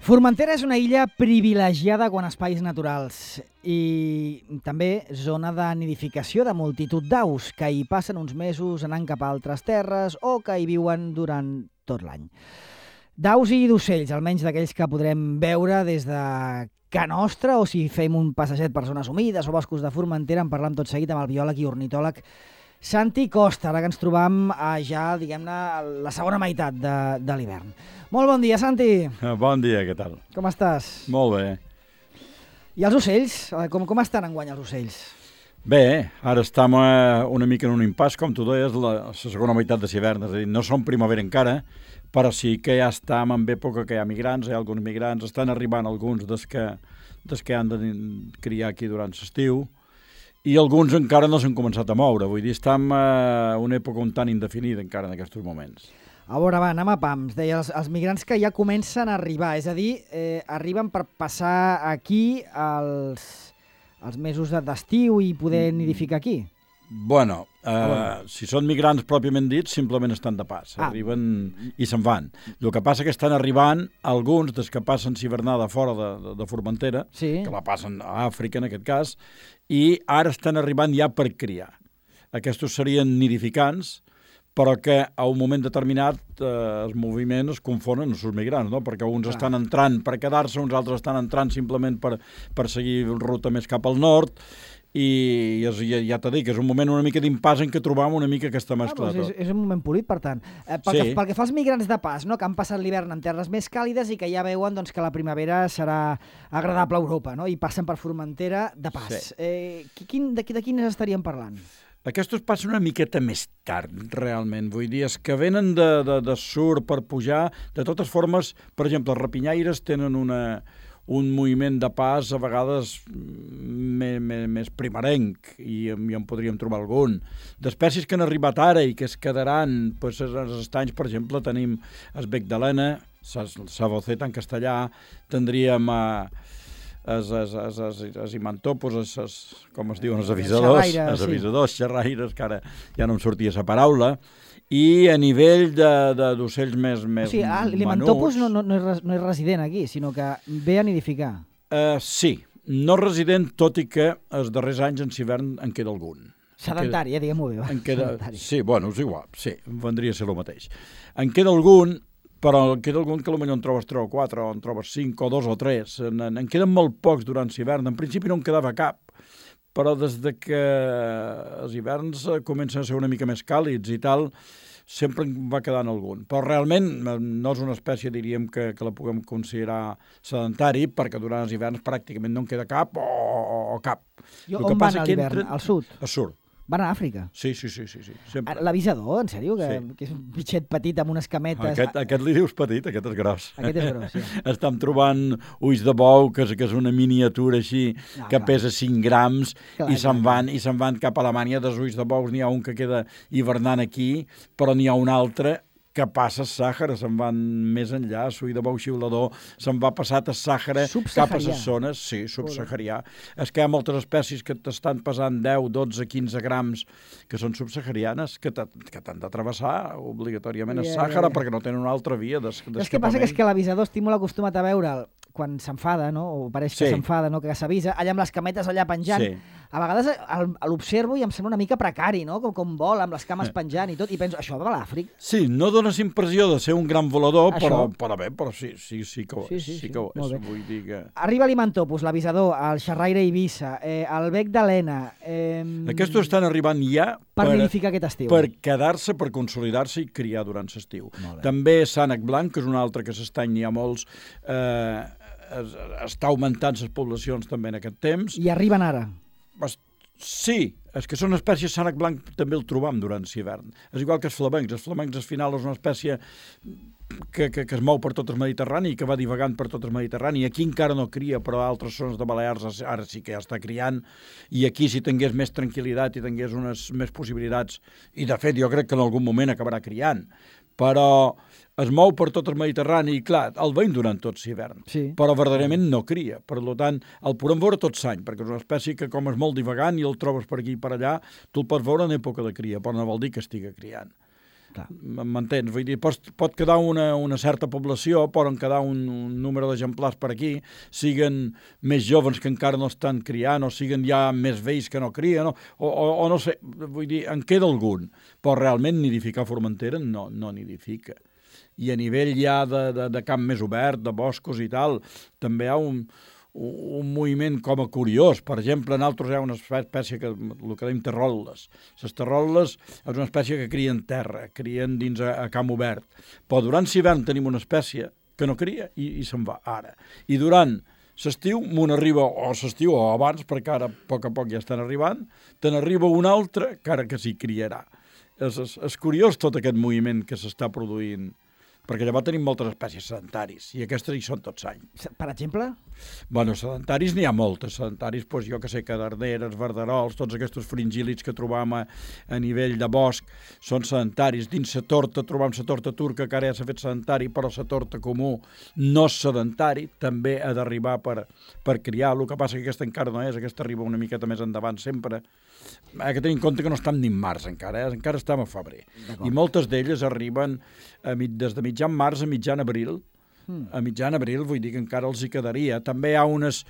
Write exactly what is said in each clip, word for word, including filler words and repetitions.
Formentera és una illa privilegiada quant a espais naturals i també zona de nidificació de multitud d'aus que hi passen uns mesos anant cap a altres terres o que hi viuen durant tot l'any. D'aus i d'ocells, almenys d'aquells que podrem veure des de Ca Nostra o si fem un passeget per zones humides o boscos de Formentera. En parlam tot seguit amb el biòleg i ornitòleg Santi Costa, ara que ens trobam ja, diguem-ne, la segona meitat de, de l'hivern. Molt bon dia, Santi. Bon dia, què tal? Com estàs? Molt bé. I els ocells? Com, com estan enguany els ocells? Bé, ara estem una mica en un impàs, com tu deies, la, la segona meitat de l'hivern. És a dir, no som primavera encara, però sí que ja estem en època que hi ha migrants, hi ha alguns migrants, estan arribant alguns des que, des que han de criar aquí durant l'estiu, i alguns encara no s'han començat a moure. Vull dir, estem en una època un tant indefinida encara en aquests moments. A veure, va, anem a pams. Deia, els, els migrants que ja comencen a arribar, és a dir, eh, arriben per passar aquí els, els mesos d'estiu i poder nidificar aquí? Bueno, eh, si són migrants pròpiament dits, simplement estan de pas. Ah. Arriben i se'n van. El que passa que estan arribant alguns des que passen l'hivernada fora de, de, de Formentera, sí, que la passen a Àfrica en aquest cas, i ara estan arribant ja per criar. Aquests serien nidificants, però que a un moment determinat eh, els moviments es confonen amb els migrants, no? Perquè uns ah. estan entrant per quedar-se, uns altres estan entrant simplement per, per seguir ruta més cap al nord, i ja, ja t'he dit que és un moment una mica d'impàs en què trobam una mica aquesta mescla. Ah, doncs és, és un moment polit, per tant. Eh, pel, sí. que, pel que fa als migrants de pas, no? Que han passat l'hivern en terres més càlides i que ja veuen doncs, que la primavera serà agradable a Europa, no? I passen per Formentera de pas. Sí. Eh, quin, de, de quines estaríem parlant? Aquests passen una miqueta més tard, realment. Vull dir, és que venen de, de, de sur per pujar. De totes formes, per exemple, els rapinyaires tenen una... un moviment de pas a vegades més, més, més primerenc, i, i en podríem trobar algun. D'espècies que han arribat ara i que es quedaran, doncs, als estanys, per exemple, tenim el bec d'Helena, Saboceta en castellà, tindríem a els, els, els, els, els imantopos, els, els, com es diuen, els avisadors, xerraires, els avisadors, sí. xerraires, que ara ja no em sortia la paraula. I a nivell d'ocells més, més o sigui, ah, l'imantopus no, no, no, és, no és resident aquí, sinó que ve a nidificar. Uh, sí, no resident, tot i que els darrers anys en hivern en queda algun. Sedentari, eh, diguem-ho bé. En queda, sí, bueno, és igual, sí, vendria a ser el mateix. En queda algun, però en queda algun que potser en trobes tres o quatre, o en trobes cinc, o dos o tres. En, en, en queden molt pocs durant l'hivern. En principi no en quedava cap, però des de que els hiverns comencen a ser una mica més càlids i tal, sempre en va quedant algun. Però realment no és una espècie, diríem, que, que la puguem considerar sedentari, perquè durant els hiverns pràcticament no en queda cap o, o, o cap. I on van a l'hivern? Entra... Al sud? Al sud. Van a Àfrica? Sí, sí, sí, sí, sí, sempre. L'avisador, en sèrio? Que, sí. que és un bitxet petit amb unes cametes... Aquest, aquest li dius petit, aquest és gros. Aquest és gros, sí. Estem trobant ulls de bou, que és, que és una miniatura així, no, que clar. pesa cinc grams, clar, i se'n van, i se'n van cap a Alemanya. Dels ulls de bous n'hi ha un que queda hivernant aquí, però n'hi ha un altre que passa a Sàhara, se'n van més enllà, l'ull de bou xiulador, se'n va passat a Sàhara cap a les zones, sí, subsaharià. És que hi ha moltes espècies que t'estan pesant deu, dotze, quinze grams, que són subsaharianes, que t'han de travessar obligatòriament a Sàhara, perquè no tenen una altra via d'escapament. És que passa que és que l'avisador estic molt acostumat a veure'l quan s'enfada, no? O pareix que sí. s'enfada, no? Que s'avisa, allà amb les cametes allà penjant. Sí. A vegades l'observo i em sembla una mica precari, no? Com, com vol, amb les cames penjant i tot, i penso, això va a l'Àfrica? Sí, no dones impressió de ser un gran volador, però, però bé, però sí, sí, sí que ho és. Sí, sí, sí, sí que ho és. Vull dir que... Arriba l'imantopus, l'avisador, el xerraire Eivissa, eh, el bec d'Helena... Eh... Aquests estan arribant ja per, per nidificar aquest estiu. Per quedar-se, per consolidar-se i criar durant l'estiu. També Sànec Blanc, que és un altre que s'estany, n'hi ha molts... Eh, està augmentant les poblacions també en aquest temps. I arriben ara? Sí, és que són espècies, Sànec Blanc també el trobam durant l'hivern. És igual que els flamencs. Els flamencs, al final, és una espècie que, que, que es mou per tot el Mediterrani i que va divagant per tot el Mediterrani. Aquí encara no cria, però a altres zones de Balears ara sí que ja està criant. I aquí, si tingués més tranquil·litat i tingués unes més possibilitats, i de fet jo crec que en algun moment acabarà criant, però es mou per tot el Mediterrani i, clar, el veiem durant tot l'hivern, sí. Però verdaderament no cria. Per tant, el podem veure tot l'any, perquè és una espècie que, com és molt divagant i el trobes per aquí i per allà, tu el pots veure en època de cria, però no vol dir que estigui criant. M'entens? Vull dir, pot, pot quedar una, una certa població, poden quedar un, un número d'exemplars per aquí, siguen més joves que encara no estan criant, o siguen ja més vells que no crien, o, o, o no sé, vull dir, en queda algun, però realment nidificar a Formentera no, no nidifica. I a nivell ja de, de, de camp més obert, de boscos i tal, també hi ha un... un moviment com a curiós. Per exemple, en altres hi ha una espècie que el que dèiem terrol·les. Les terrol·les és una espècie que cria en terra, crien dins a, a camp obert. Però durant l'hivern tenim una espècie que no cria i, i se'n va ara. I durant l'estiu, m'un arriba, o l'estiu o abans, perquè ara a poc a poc ja estan arribant, te n'arriba un altre que ara que s'hi criarà. És, és, és curiós tot aquest moviment que s'està produint, perquè llavors tenim moltes espècies sedentaris, i aquestes hi són tots any. Per exemple? Bueno, sedentaris n'hi ha moltes. Sedentaris, doncs, jo que sé, cadarneres, verderols, tots aquests fringílids que trobam a, a nivell de bosc són sedentaris. Dins la torta trobam la torta turca, que ara ja s'ha fet sedentari, però la torta comú no és sedentari, també ha d'arribar per, per criar. El que passa que aquesta encara no és, aquesta arriba una miqueta més endavant sempre. Hay que tenir en compte que no estem ni en març encara, eh? Encara estem a febrer. I moltes d'elles arriben a, des de mitjan març a mitjan abril. Mm. A mitjan abril, vull dir que encara els hi quedaria. També hi ha unes,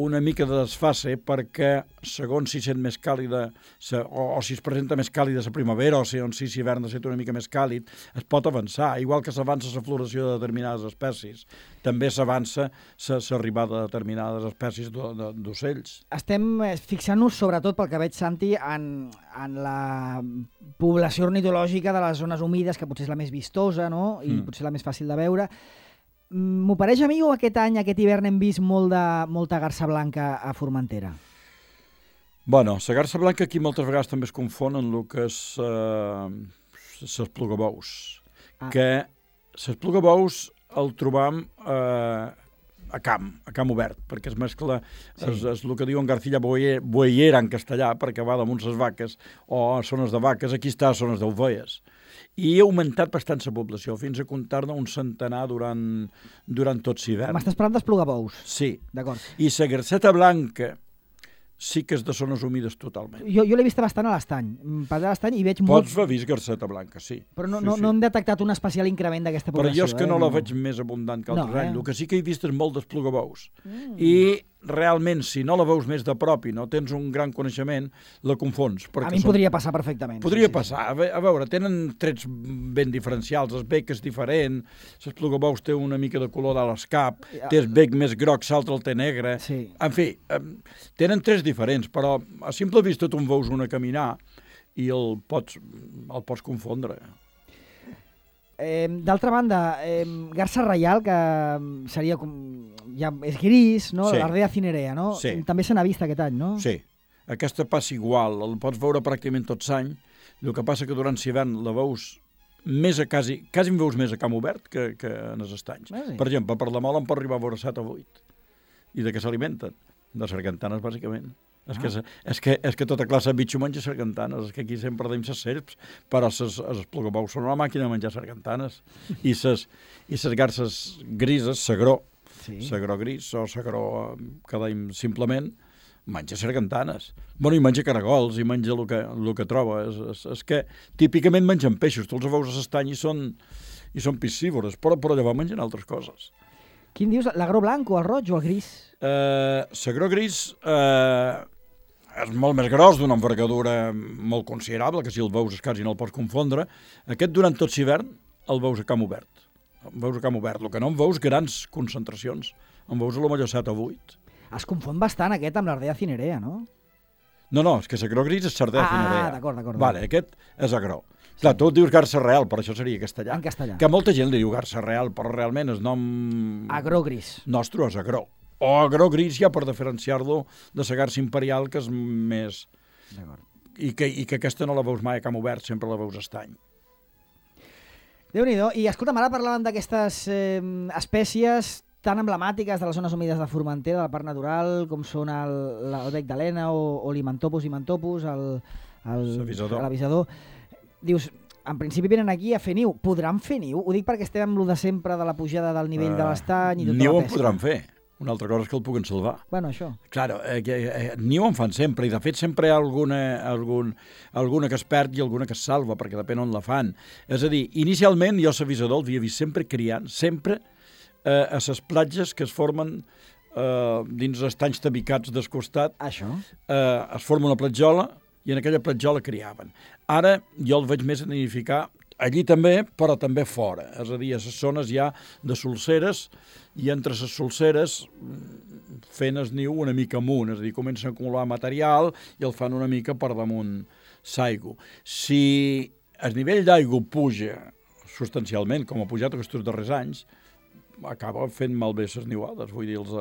una mica de desfase perquè, segons si sent més càlida, se, o, o si es presenta més càlida la primavera, o si, on si l'hivern ha estat una mica més càlid, es pot avançar. Igual que s'avança la floració de determinades espècies, també s'avança l'arribada de determinades espècies d'ocells. Estem fixant-nos, sobretot pel que veig, Santi, en, en la població ornitològica de les zones humides, que potser és la més vistosa, no? I mm. potser la més fàcil de veure. M'ho pareix a mi o aquest any, aquest hivern, hem vist molt de, molta garsa blanca a Formentera? Bueno, la garsa blanca aquí moltes vegades també es confon en el que és eh, les plugabous. Ah. Que les plugabous el trobam eh, a camp, a camp obert, perquè es mescla, sí. és, és el que diuen Garcilla Boyera en castellà, perquè va damunt les vaques, o zones de vaques, aquí està a zones d'ovelles. I ha augmentat bastant la població, fins a comptar-ne un centenar durant, durant tot l'hivern. M'estàs parlant dels plugabous? Sí. D'acord. I la garceta blanca sí que és de zones humides totalment. Jo, jo l'he vista bastant a l'estany. Per l'estany i veig molt... molt... Pots haver vist garceta blanca, sí. Però no, sí, no, sí. no hem detectat un especial increment d'aquesta població. Però jo és que eh? no la veig més abundant que altres no, anys. Eh? El que sí que he vist és molt dels plugabous. Mm. I realment, si no la veus més de prop i no tens un gran coneixement, la confons. A mi em són... podria passar perfectament. Podria sí, passar. Sí. A veure, tenen trets ben diferencials. El bec és diferent, les plugabous té una mica de color dalt l'escap, ja. Té el bec més groc, l'altre el té negre. Sí. En fi, tenen trets diferents, però a simple vista tu en veus una caminar i el pots, el pots confondre. Eh, D'altra banda, eh, garsa reial, que seria com... ja és gris, no? Sí. L'Ardea cinerea, no? Sí. També se n'ha vist aquest any, no? Sí. Aquesta passa igual, el pots veure pràcticament tot l'any. El que passa que durant l'hivern la veus més a quasi... quasi en veus més a camp obert que, que en els estanys. Ah, sí. Per exemple, per la Mola en pot arribar a veure set o vuit. I de què s'alimenten? De sargantanes, bàsicament. És, ah. que, és, que, és que tota classe de bitxo menja sargantanes, és que aquí sempre deim ses serps, però els plugabous són una màquina de menjar sargantanes. I ses, i ses garces grises, sagró, sí. sagró gris o sagró que deim simplement, menja sargantanes. Bueno, i menja caragols, i menja el que, el que troba. És, és, és que típicament mengen peixos, tu els veus a l'estany i són, i són piscívores, però, però llavors mengen altres coses. Quin dius? L'agró blanc o el roig o el gris? Eh, l'agró gris... Eh, és molt més gros, d'una envergadura molt considerable, que si el veus quasi no el pots confondre. Aquest, durant tot l'hivern, el veus a camp obert. El veus a camp obert. El que no en veus grans concentracions. En veus a lo millor set o vuit. Es confon bastant aquest amb l'Ardea cinerea, no? No, no, és que l'agró gris és l'Ardea ah, cinerea. Ah, d'acord, d'acord. Vale, aquest és agró. Sí. Clar, tu dius garsa real, però això seria castellà. En castellà. Que molta gent li diu garsa real, però realment el nom... Agró gris. Nostre és agró. O agró gris ja per diferenciar-lo de la garsa imperial, que és més... I que, I que aquesta no la veus mai a camp obert, sempre la veus a estany. Déu-n'hi-do. I escolta'm, ara parlàvem d'aquestes eh, espècies tan emblemàtiques de les zones humides de Formentera, del Parc Natural, com són el, el bec d'Helena o, o l'Imantopus imantopus, l'avisador. Dius, en principi venen aquí a fer niu. Podran fer niu? Ho dic perquè estem amb lo de sempre de la pujada del nivell uh, de l'estany i tota niu la pesca. Niu en podran fer. Una altra cosa és que el puguen salvar. Bueno, això. Claro, eh, eh, ni ho en fan sempre, i de fet sempre hi ha alguna, algun, alguna que es perd i alguna que es salva, perquè depèn on la fan. És a dir, inicialment jo l'avisador l'havia vist sempre criant, sempre eh, a les platges que es formen eh, dins estanys tabicats del costat. Això. Eh, es forma una platjola i en aquella platjola criaven. Ara jo el veig més a nidificar allí també, però també fora. És a dir, a les zones ja de solseres, i entre les solseres fent el niu una mica amunt, és a dir, comencen a acumular material i el fan una mica per damunt l'aigua. Si el nivell d'aigua puja substancialment, com ha pujat aquests darrers anys, acaba fent malbé les niuades, vull dir, els,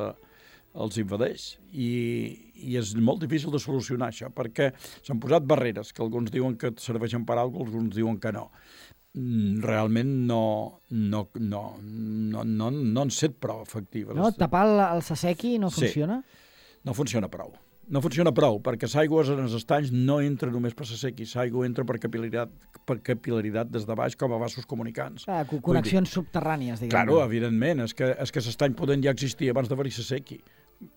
els invadeix. I, I és molt difícil de solucionar això, perquè s'han posat barreres, que alguns diuen que serveixen per alguna cosa, alguns diuen que no. Realment no, no, no, no, no, no han set prou efectives. No? Tapar el, el sassequi no funciona? Sí, no funciona prou. No funciona prou, perquè l'aigua en els estanys no entra només per sassequi, l'aigua entra per capil·laritat, per capil·laritat des de baix com a vasos comunicants. Ah, connexions subterrànies, diguem. Claro, evidentment, és que, és que l'estany poden ja existir abans d'haver-hi sassequi.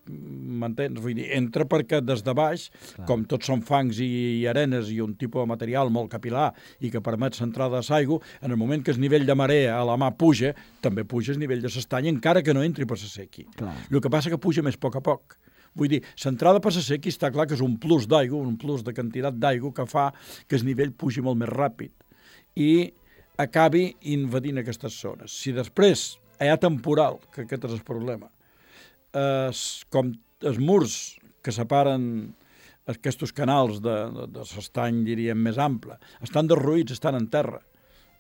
M'entens? Vull dir, entra perquè des de baix, clar, com tots són fangs i, i arenes i un tipus de material molt capilar i que permet l'entrada de l'aigua, en el moment que el nivell de marea a la mà puja, també puja el nivell de l'estany, encara que no entri per sassequi. El que passa que puja més a poc a poc. Vull dir, l'entrada per sassequi està clar que és un plus d'aigua, un plus de quantitat d'aigua que fa que el nivell pugi molt més ràpid i acabi invadint aquestes zones. Si després hi ha temporal, que aquest és el problema, es, com els murs que separen aquests canals de, de, de l'estany, diríem, més ample, estan derruïts, estan en terra.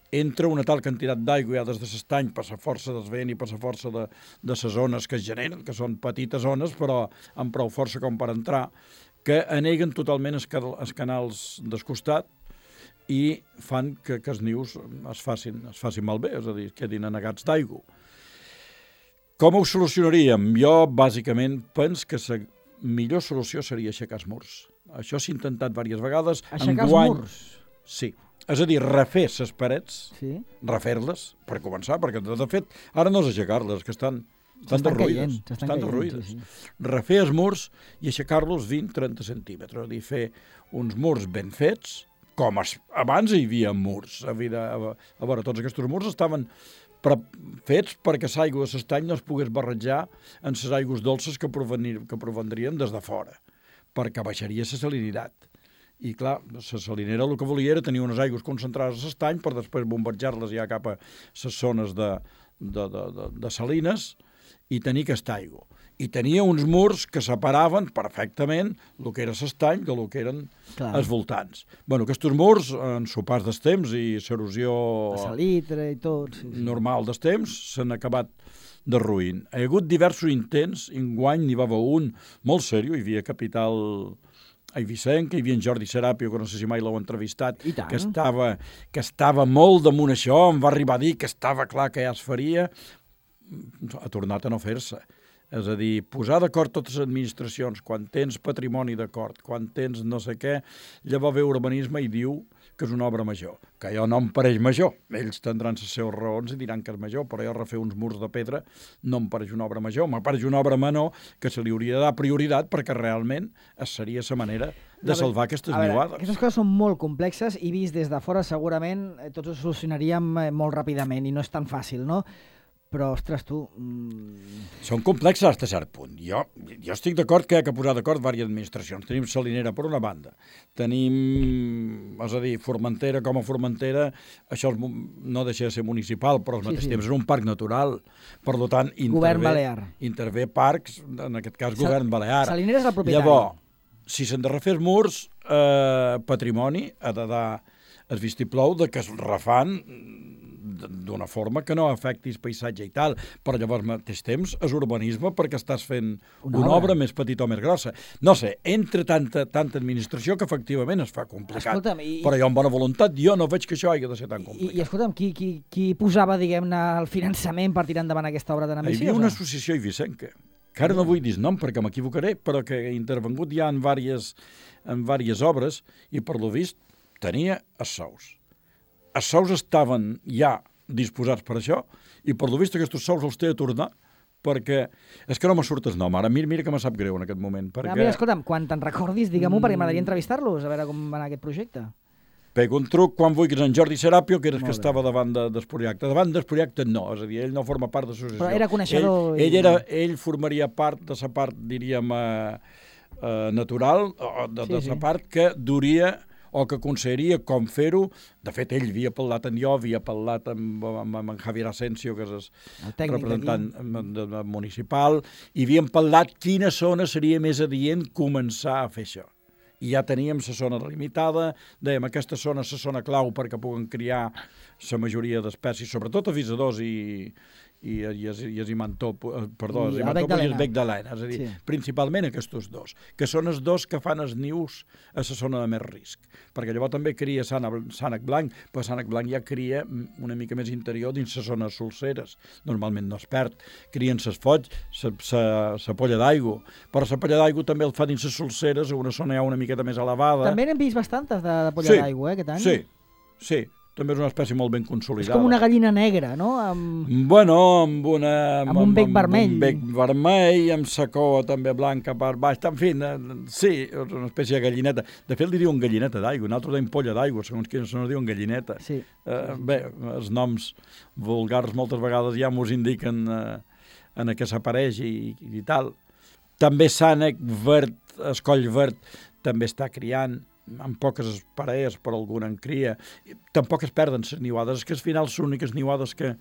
Entra una tal quantitat d'aigua ja des de l'estany per la força del vent i per la força de, de les zones que es generen, que són petites zones, però amb prou força com per entrar, que aneguen totalment els, els canals del costat i fan que, que els nius es facin, es facin malbé, és a dir, quedin anegats d'aigua. Com ho solucionaríem? Jo, bàsicament, penso que la millor solució seria aixecar els murs. Això s'ha intentat diverses vegades. Aixecar els murs? Sí. És a dir, refer les parets, sí, refer-les, per començar, perquè, de fet, ara no és aixecar-les, que estan, estan derruïdes. Estan derruïdes. Sí, sí. Refer els murs i aixecar-los vint a trenta centímetres. És a dir, fer uns murs ben fets, com es, abans hi havia murs. A, vida, a, a veure, tots aquests murs estaven però fets perquè l'aigua de l'estany no es pogués barrejar en les aigües dolces que, provenir, que provendrien des de fora, perquè baixaria la salinitat. I clar, la salinera el que volia era tenir unes aigües concentrades a l'estany per després bombardejar-les ja cap a les zones de, de, de, de, de salines i tenir aquesta aigua. I tenia uns murs que separaven perfectament el que era l'estany del que eren clar, els voltants. Bueno, aquests murs, en sopars dels temps i l'erosió salitre i tot, sí, sí, normal dels temps, s'han acabat derruint. Hi ha hagut diversos intents, enguany n'hi va haver un molt seriós, hi havia capital a Eivissenc, hi havia en Jordi Serapio, que no sé si mai l'heu entrevistat, que estava, que estava molt damunt això, em va arribar a dir que estava clar que ja es faria, ha tornat a no fer-se. És a dir, posar d'acord totes les administracions, quan tens patrimoni d'acord, quan tens no sé què, llavors ve urbanisme i diu que és una obra major, que jo no em pareix major. Ells tindran les seves raons i diran que és major, però jo refer uns murs de pedra no em pareix una obra major, em pareix una obra menor que se li hauria de dar prioritat perquè realment seria la manera de salvar aquestes niuades. Aquestes coses són molt complexes i vist des de fora segurament tots ho solucionaríem molt ràpidament i no és tan fàcil, no? Però, ostres, tu... Mm... Són complexes fins a cert punt. Jo, jo estic d'acord que hi ha que posar d'acord diverses administracions. Tenim Salinera per una banda, tenim, és a dir, Formentera com a Formentera, això no deixa de ser municipal, però al mateix sí, sí. temps és un parc natural. Per tant, intervé, govern balear. Intervé parcs, en aquest cas Sa govern balear. Salinera és el propietari. Llavors, si s'han de refer els murs, eh, patrimoni ha de dar el vistiplou de que es refan d'una forma que no afecti el paisatge i tal, però llavors al mateix temps és urbanisme perquè estàs fent una, una obra. obra més petita o més grossa. No sé, entre tanta, tanta administració que efectivament es fa complicat. Escolta'm, i... Però jo amb bona voluntat jo no veig que això hagi de ser tan complicat. I, i escolta'm, qui, qui, qui posava, diguem-ne, el finançament per tirar endavant aquesta obra tan ambiciosa? Hi havia una associació eivissenca, que ara no vull dir nom perquè m'equivocaré, però que ha intervengut ja en diverses, en diverses obres i per lo vist tenia els sous. Els sous estaven ja disposats per això i per lo vist aquests sous els té a tornar perquè és que no me surt el nom. Ara mira, mira que me sap greu en aquest moment. Perquè... Ah, mira, escolta'm, quan te'n recordis, digue-m'ho, perquè m'agradaria entrevistar-los, a veure com va anar aquest projecte. Pego un truc quan vulguis en Jordi Serapio, que era el que Molt bé. estava davant de, del projecte. Davant del projecte no, és a dir, ell no forma part de l'associació. Però era coneixedor Ell, i- ell, era, ell formaria part de la part, diríem, eh, eh, natural, o de, Sí, de sí. la part que duria o que aconsellaria com fer-ho. De fet, ell havia parlat amb jo, havia parlat amb, amb, amb en Javier Asensio, que és el, El tècnic representant d'aquí. de, de, municipal, i havíem parlat quina zona seria més adient començar a fer això. I ja teníem la zona delimitada, dèiem aquesta zona és la zona clau perquè puguen criar la majoria d'espècies, sobretot avisadors i, i, i, i, i imantó, perdó, I el imantó bec d'Helena. i el bec d'Helena, és a dir, Sí. principalment aquests dos, que són els dos que fan els nius a la zona de més risc, perquè llavors també cria sànec, sànec blanc, però sànec blanc ja cria una mica més interior dins la zona solceres, normalment no es perd, crien ses foig, la polla d'aigua, però la polla d'aigua també el fa dins les solceres, a una zona ja una miqueta més elevada. També n'hem vist bastantes de, de polla Sí, d'aigua, eh, aquest any. Sí, sí, també és una espècie molt ben És consolidada. com una gallina negra, no? Amb... Bueno, amb una... Amb un bec vermell. Amb un bec vermell, amb sa cua també blanca per baix. En fi, eh, sí, és una espècie de gallineta. De fet, li diuen gallineta d'aigua, nosaltres dèiem polla d'aigua, segons quins no diuen gallineta. Sí. Eh, bé, els noms vulgars moltes vegades ja mos indiquen eh, en què s'apareix i, i tal. També sànec verd, escoll verd, també està criant, amb poques parelles, però alguna en cria. Tampoc es perden les niuades. És que al final les úniques niuades que,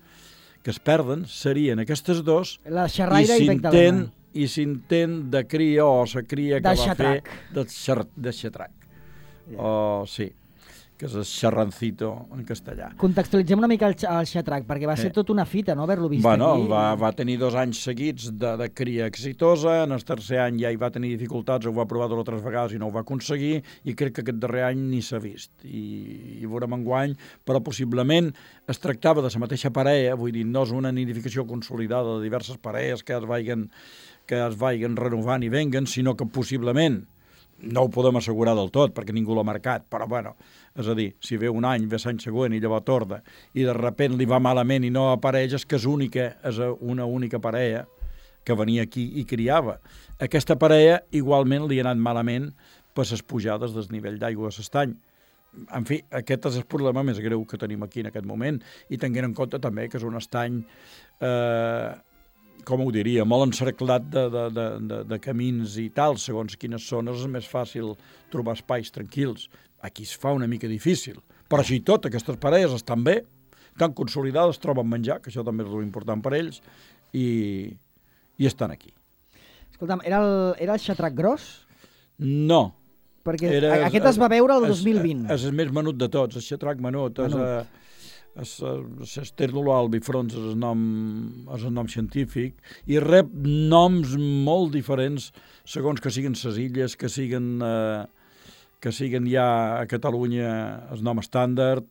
que es perden serien aquestes dos La i xerraire i, bec s'intent d'Helena. i s'intent de cria o la cria que Del va xatrac. fer del xer, de xatrac. Ja. O sí, que és el xerrancito en castellà. Contextualitzem una mica el, xa- el xatrac, perquè va ser Eh. tota una fita, no?, haver-lo vist Bueno, aquí. va, va tenir dos anys seguits de, de cria exitosa, en el tercer any ja hi va tenir dificultats, ho va provar dues o tres vegades i no ho va aconseguir, i crec que aquest darrer any ni s'ha vist. I, i veurem enguany, però possiblement es tractava de la mateixa parella, vull dir, no és una nidificació consolidada de diverses parelles que es vagin, que es vagin renovant i venguen, sinó que possiblement, no ho podem assegurar del tot, perquè ningú l'ha marcat, però bueno, és a dir, si ve un any, ve l'any següent i llavors torna, i de repent li va malament i no apareix, és que és única, és una única parella que venia aquí i criava. Aquesta parella igualment li ha anat malament per les pujades del nivell d'aigua de l'estany. En fi, aquest és el problema més greu que tenim aquí en aquest moment, i tenint en compte també que és un estany eh, com ho diria, molt encerclat de, de, de, de, de camins i tal, segons quines zones és més fàcil trobar espais tranquils. Aquí es fa una mica difícil, però així i tot, aquestes parelles estan bé, estan consolidades, troben menjar, que això també és important per ells, i, i estan aquí. Escolta'm, era el, era el xatrac gros? No. Perquè era, aquest es va veure el dos mil vint. És, és el més menut de tots, el xatrac menut. Menut. És, L'Esternolo albifrons és el, nom, és el nom científic i rep noms molt diferents segons que siguin ses illes, que siguin, eh, que siguin ja a Catalunya el nom estàndard.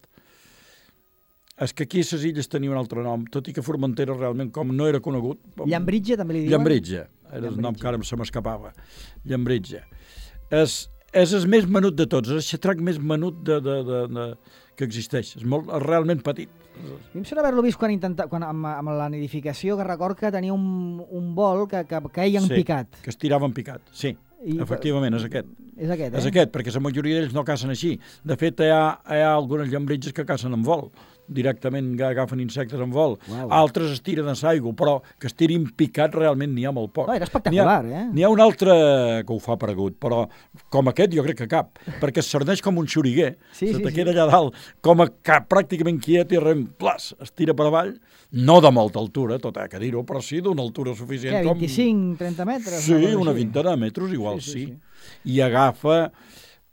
És que aquí a ses illes tenia un altre nom, tot i que Formentera realment com no era conegut. Llambritge també li diuen? Llambritge, era el nom que ara se m'escapava. Llambritge. És, és el més menut de tots, és el xatrac més menut de, de, de, de, que existeix. És, molt, és realment petit. A mi em sembla haver-lo vist quan intenta, quan, amb, amb la nidificació, que record que tenia un, un vol que, que queia en Sí, picat. que es tirava en picat, sí. I, Efectivament, és aquest. És aquest, eh? És aquest, perquè la majoria d'ells no cacen així. De fet, hi ha, hi ha algunes llambritges que cacen en vol, directament agafen insectes en vol. Uau. Altres es tiren a l'aigua, però que es tirin picat realment n'hi ha molt poc. No, era espectacular, N'hi ha, eh? N'hi ha un altre que ho fa paregut, però com aquest jo crec que cap, perquè es cerneix com un xuriguer, Sí, se sí, te sí. queda allà dalt, com a cap, pràcticament quiet i rem, plas, es tira per avall, no de molta altura, tot ha que dir-ho, però sí d'una altura suficient. Què, com... vint-i-cinc, trenta metres? Sí, cosa una així? vintena de metres, igual Sí, sí. sí, sí. I agafa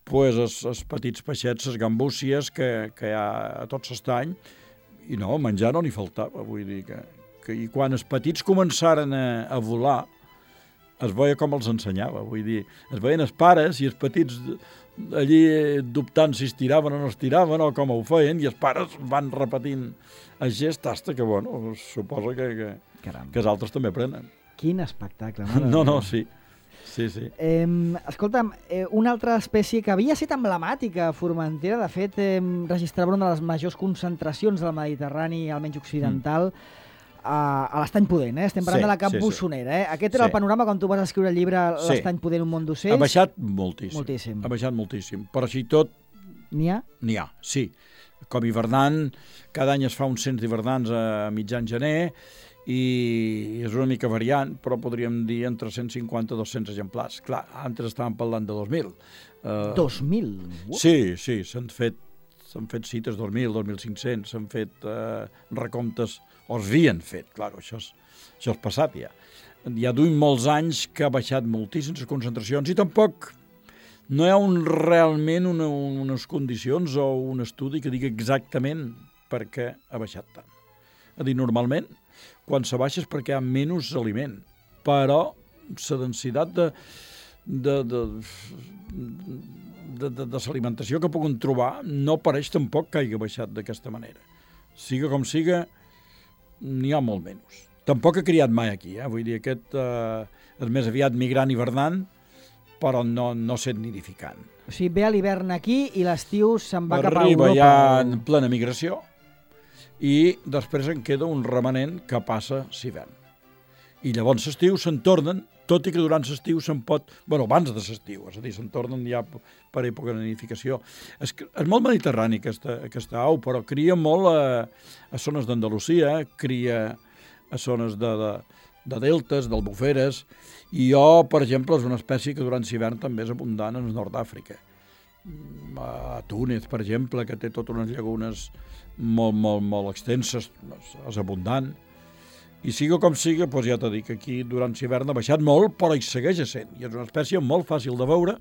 pues, els, els petits peixets, les gambúcies que, que hi ha a tot l'estany, i no, menjar no n'hi faltava, vull dir que, que... I quan els petits començaren a, a volar, es veia com els ensenyava, vull dir, es veien els pares i els petits allí dubtant si es tiraven o no es tiraven o com ho feien, i els pares van repetint el gest hasta que, bueno, suposa que, que, Caram. que els altres també aprenen. Quin espectacle. mare No, no, meva. sí. Sí, sí. Eh, escolta'm, eh, una altra espècie que havia estat emblemàtica a Formentera, de fet, eh, registrava una de les majors concentracions del Mediterrani, almenys occidental, a, a l'Estany Pudent, eh? Estem parlant Sí, de la Cap sí, sí. Bussonera. Eh? Aquest era Sí. el panorama quan tu vas escriure el llibre Sí. L'Estany Pudent, un món d'ocells. Ha baixat moltíssim. Moltíssim. Ha baixat moltíssim. Però així i tot, N'hi ha? n'hi ha, sí. Com hivernant, cada any es fa un cens d'hivernants a mitjan gener i és una mica variant, però podríem dir entre cent cinquanta i dos-cents exemplars. Clar, antes estàvem parlant de dos mil. Uh, dos mil? Uh. Sí, sí, s'han fet, s'han fet cites dos mil, dos mil cinc-cents, s'han fet uh, recomptes, o es havien fet, clar, això és, això és passat ja. Ja duim molts anys que ha baixat moltíssim les concentracions i tampoc no hi ha un, realment una, unes condicions o un estudi que digui exactament per què ha baixat tant. És a dir, normalment, quan se baixa és perquè hi ha menys aliment, però la densitat de, de, de, de, de, de l'alimentació que puguin trobar no pareix tampoc que hagi baixat d'aquesta manera. Siga com siga, n'hi ha molt menys. Tampoc ha criat mai aquí, eh? Vull dir, aquest eh, és més aviat migrant hivernant, però no, no sent nidificant. O sigui, ve a l'hivern aquí i l'estiu se'n va cap a Arriba Europa. ja en plena migració i després en queda un remanent que passa l'hivern. I llavors l'estiu se'n tornen, tot i que durant l'estiu se'n pot... Bueno, abans de l'estiu, és a dir, se'n tornen ja per època de nidificació. És, és molt mediterrani aquesta, aquesta au, però cria molt a, a zones d'Andalusia, cria a zones de, de, de deltes, d'albuferes, i jo, per exemple, és una espècie que durant l'hivern també és abundant en el nord d'Àfrica. A Túnez, per exemple, que té totes unes llagunes molt, molt, molt extenses, és abundant. I siga com siga, doncs ja t'he dit que aquí durant l'hivern ha baixat molt, però hi segueix sent. I és una espècie molt fàcil de veure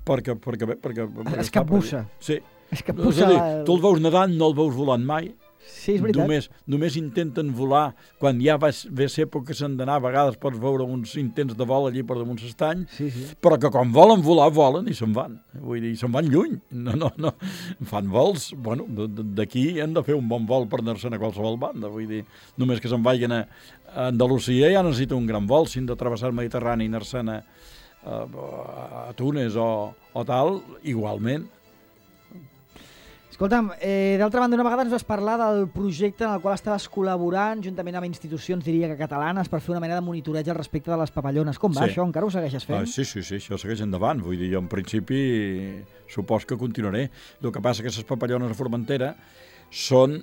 perquè... perquè, perquè, perquè es capbussa. Sí. Es capbussa. És a dir, tu el veus nedant, no el veus volant mai. Sí, és veritat. Només, només intenten volar quan ja va, ve l'època que s'han d'anar, a vegades pots veure uns intents de vol allí per damunt l'estany, sí, sí. però que quan volen volar, volen i se'n van. Vull dir, se'n van lluny. No, no, no. Fan vols, bueno, d'aquí han de fer un bon vol per anar-se'n a qualsevol banda. Vull dir, només que se'n vagin a Andalusia ja necessita un gran vol. Si han de travessar el Mediterrani i anar-se'n a, a, a Túnez o, o tal, igualment. Escolta'm, eh, d'altra banda, una vegada ens vas parlar del projecte en el qual estaves col·laborant juntament amb institucions, diria que catalanes, per fer una mena de monitoreig al respecte de les papallones. Com va Sí. això? Encara ho segueixes fent? Ah, sí, sí, sí, això segueix endavant. Vull dir, jo en principi supos que continuaré. El que passa que les papallones a Formentera són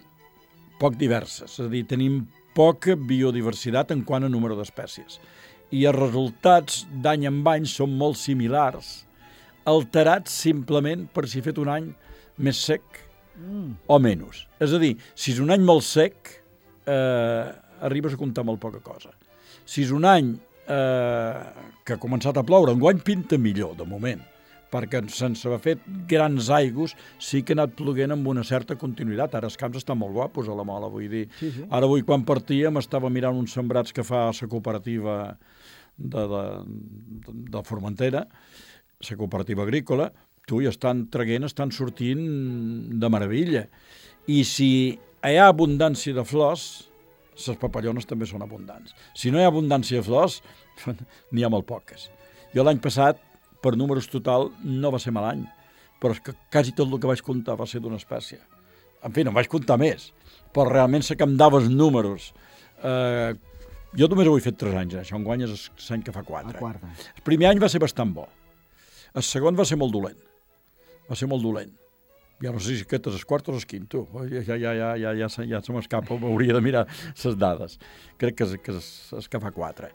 poc diverses. És a dir, tenim poca biodiversitat en quant a número d'espècies. I els resultats d'any en any són molt similars, alterats simplement per si he fet un any més sec mm. o menys. És a dir, si és un any molt sec, eh, arribes a comptar molt poca cosa. Si és un any eh, que ha començat a ploure, enguany pinta millor, de moment, perquè sense haver fet grans aigües sí que ha anat ploguent amb una certa continuïtat. Ara els camps estan molt guapos a la Mola, vull dir. Sí, sí. Ara avui quan partíem estava mirant uns sembrats que fa la cooperativa de, de, de, de Formentera, la cooperativa agrícola, tu, i estan traguent, estan sortint de meravella. I si hi ha abundància de flors, les papallones també són abundants. Si no hi ha abundància de flors, n'hi ha molt poques. Jo l'any passat, per números total, no va ser mal any, però és que quasi tot el que vaig comptar va ser d'una espècie. En fi, no vaig comptar més, però realment sé que em dava els números. Eh, jo només ho he fet tres anys, eh? Això enguany és l'any que fa quatre. El primer any va ser bastant bo. El segon va ser molt dolent. Va ser molt dolent. Ja no sé si aquest és el quart o el quinto. Ja, ja, ja, ja, ja, ja, ja se m'escapa, m'hauria de mirar les dades. Crec que és, que és, és que fa quatre.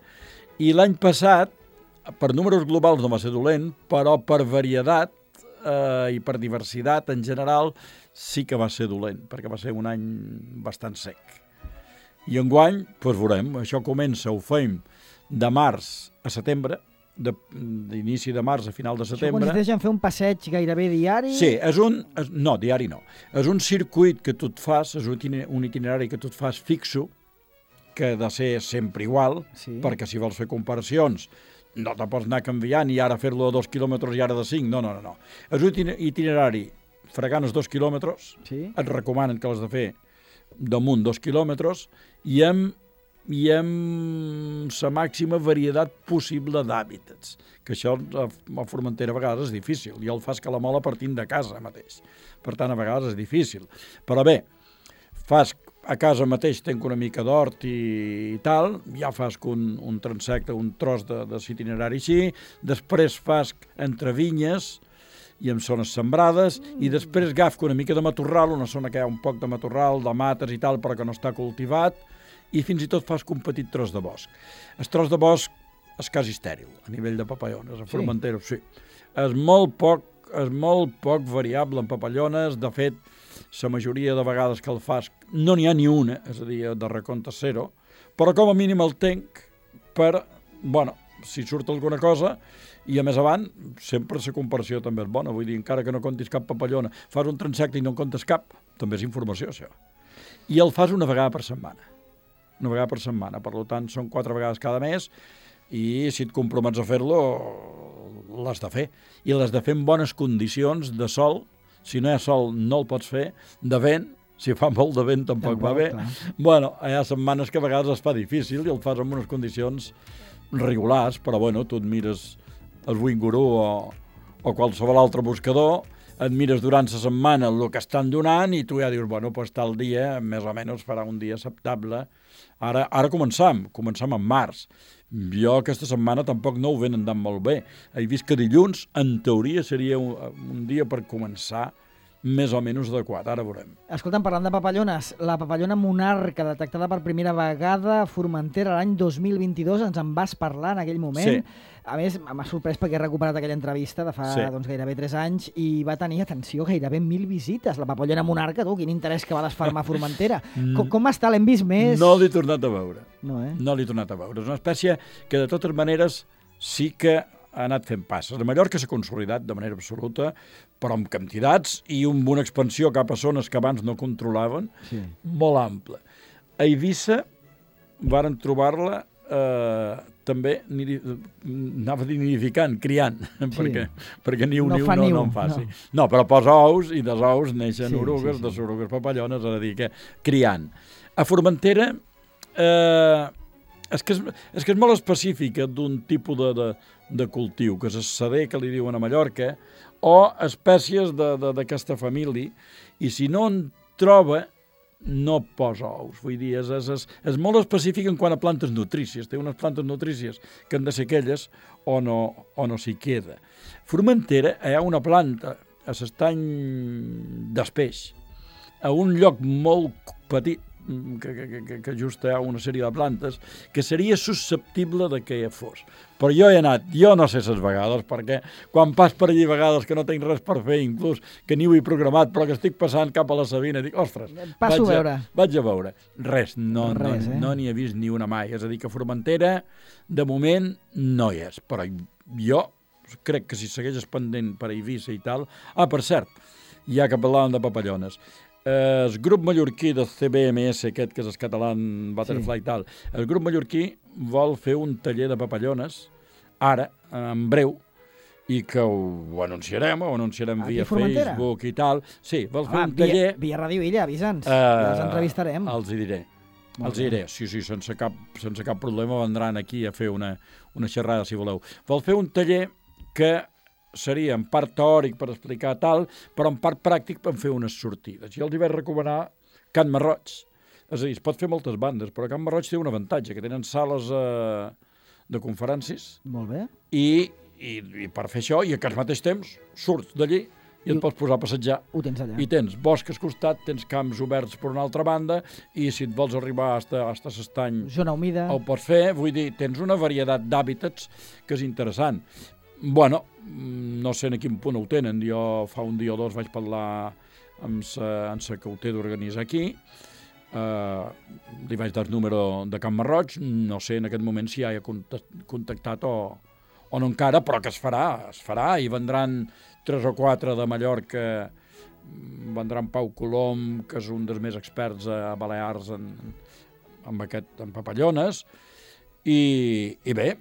I l'any passat, per números globals no va ser dolent, però per varietat eh, i per diversitat en general sí que va ser dolent, perquè va ser un any bastant sec. I enguany, doncs veurem, això comença, ho fem de març a setembre, d'inici de març a final de setembre. Això consisteix en fer un passeig gairebé diari? Sí, és un... És, no, diari no. És un circuit que tu et fas, és un itinerari que tu et fas fixo, que ha de ser sempre igual, sí. Perquè si vols fer comparacions no te pots anar canviant i ara fer-lo a dos quilòmetres i ara de cinc. No, no, no. no. És un itinerari fregant els dos quilòmetres, sí. Et recomanen que l'has de fer damunt dos quilòmetres i amb i amb la màxima varietat possible d'hàbitats, que això a Formentera a vegades és difícil. Jo el fas que la mola partint de casa mateix. Per tant, a vegades és difícil. Però bé, fas a casa mateix tenc una mica d'hort i, i tal, ja fas un, un transecte, un tros de, de itinerari així, després fas entre vinyes i en zones sembrades, mm. i després agafo una mica de matorral, una zona que hi ha un poc de matorral, de mates i tal, però que no està cultivat, i fins i tot fas un petit tros de bosc. El tros de bosc és quasi estèril, a nivell de papallones, a Formentera, sí. sí. És molt poc, és molt poc variable en papallones, de fet, la majoria de vegades que el fas no n'hi ha ni una, és a dir, de recompte zero, però com a mínim el tenc per, bueno, si surt alguna cosa, i a més avant, sempre la comparació també és bona, vull dir, encara que no comptis cap papallona, fas un transecte i no en comptes cap, també és informació, això. I el fas una vegada per setmana, una vegada per setmana, per tant, són quatre vegades cada mes, i si et compromets a fer-lo, l'has de fer, i l'has de fer en bones condicions de sol. Si no hi ha sol no el pots fer, de vent, si fa molt de vent tampoc, tampoc va bé. Clar. Bueno, hi ha setmanes que a vegades es fa difícil i el fas en unes condicions regulars, però bueno, tu et mires el Winguru o, o qualsevol altre buscador, et mires durant la setmana el que estan donant i tu ja dius, bueno, doncs tal dia, més o menys farà un dia acceptable. Ara, ara començam, començam en març. Jo aquesta setmana tampoc no ho ven andant molt bé. He vist que dilluns, en teoria, seria un, un dia per començar més o menys adequat. Ara veurem. Escolta'm, parlant de papallones, la papallona monarca detectada per primera vegada a Formentera l'any dos mil vint-i-dos, ens en vas parlar en aquell moment. Sí. A més, m'ha sorprès perquè he recuperat aquella entrevista de fa sí. doncs, gairebé tres anys i va tenir, atenció, gairebé mil visites. La papallona monarca, tu, quin interès que va desfermar a Formentera. Com, com està? L'hem vist més? No l'he tornat a veure. No, eh? No l'he tornat a veure. És una espècie que, de totes maneres, sí que ha anat fent passes. A Mallorca s'ha consolidat de manera absoluta, però amb quantitats i amb una expansió cap a zones que abans no controlaven, sí. molt ampla. A Eivissa varen trobar-la eh, també, anava a dir nidificant, criant, sí. perquè, perquè ni un no niu no, no en faci. No. no, però posa ous i dels ous neixen sí, orugues, sí, sí. de orugues papallones, és a dir, que criant. A Formentera eh, és, que és, és que és molt específica d'un tipus de, de, de cultiu, que és el sader, que li diuen a Mallorca, o espècies d'aquesta família, i si no en troba, no posa ous. Vull dir, és, és, és, és molt específic en quant a plantes nutrícies. Té unes plantes nutrícies que han de ser aquelles o no, o no s'hi queda. Formentera hi ha una planta a l'estany d'Espeix, a un lloc molt petit, que, que, que, que just hi ha una sèrie de plantes, que seria susceptible de que hi fos. Però jo he anat, jo no sé ses vegades, perquè quan pas per allí vegades que no tinc res per fer, inclús que ni ho he programat, però que estic passant cap a la Sabina, dic, ostres, Passo vaig, a veure. A, vaig a veure. Res, no n'hi Res, eh? no, no he vist ni una mai. És a dir, que Formentera, de moment, no hi és. Però jo crec que si segueix pendent per Eivissa i tal... Ah, per cert, ja que parlàvem de papallones, el grup mallorquí de C B M S, aquest que és el català Butterfly i sí. tal, el grup mallorquí vol fer un taller de papallones, ara, en breu, i que ho, ho anunciarem, ho anunciarem Aquí via Facebook i tal. Sí, vol fer ah, un taller... Via, via Ràdio Illa, avisa'ns, uh, els entrevistarem. Els hi diré. Molt els hi diré, sí, sí, sense cap, sense cap problema vendran aquí a fer una, una xerrada, si voleu. Vol fer un taller que seria en part teòric per explicar tal, però en part pràctic per fer unes sortides. Jo els hi vaig recomanar Can Marroig. És a dir, es pot fer moltes bandes, però Can Marroig té un avantatge, que tenen sales eh, de conferències. Molt bé. I, i, i per fer això, i al mateix temps, surts d'allí i et pots posar a passejar. Ho tens allà. I tens bosc al costat, tens camps oberts per una altra banda, i si et vols arribar hasta, hasta l'estany... Zona humida. Ho pots fer, vull dir, tens una varietat d'hàbitats que és interessant. Bueno, no sé en quin punt ho tenen. Jo fa un dia o dos vaig parlar amb la que ho té d'organitzar aquí. Uh, li vaig dar el número de Can Marroig. No sé en aquest moment si ja hi ha contactat o, o no encara, però que es farà, es farà i vendran tres o quatre de Mallorca. Vendran Pau Colom, que és un dels més experts a Balears en, en, aquest, en papallones. I, i bé,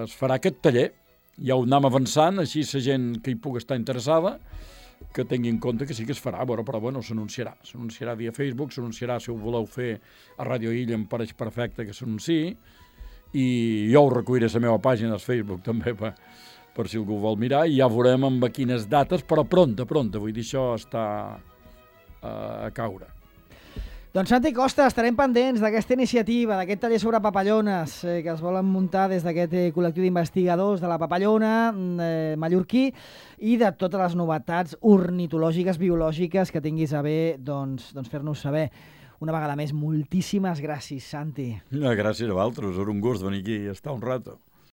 es farà aquest taller. Ja ho anem avançant, així la gent que hi pugui estar interessada, que tingui en compte que sí que es farà, però, però bueno, s'anunciarà. S'anunciarà via Facebook, s'anunciarà si ho voleu fer a Ràdio Illa, em pareix perfecte que s'anunciï, i jo ho recolliré a la meva pàgina del Facebook també, per, per si algú vol mirar, i ja veurem amb quines dates, però pronta, pronta, vull dir, això està a, a caure. Doncs Santi Costa, estarem pendents d'aquesta iniciativa, d'aquest taller sobre papallones eh, que es volen muntar des d'aquest eh, col·lectiu d'investigadors de la papallona eh, mallorquí i de totes les novetats ornitològiques, biològiques que tinguis a bé doncs, doncs fer-nos saber. Una vegada més, moltíssimes gràcies, Santi. Gràcies a vosaltres, era un gust venir aquí i estar un rato.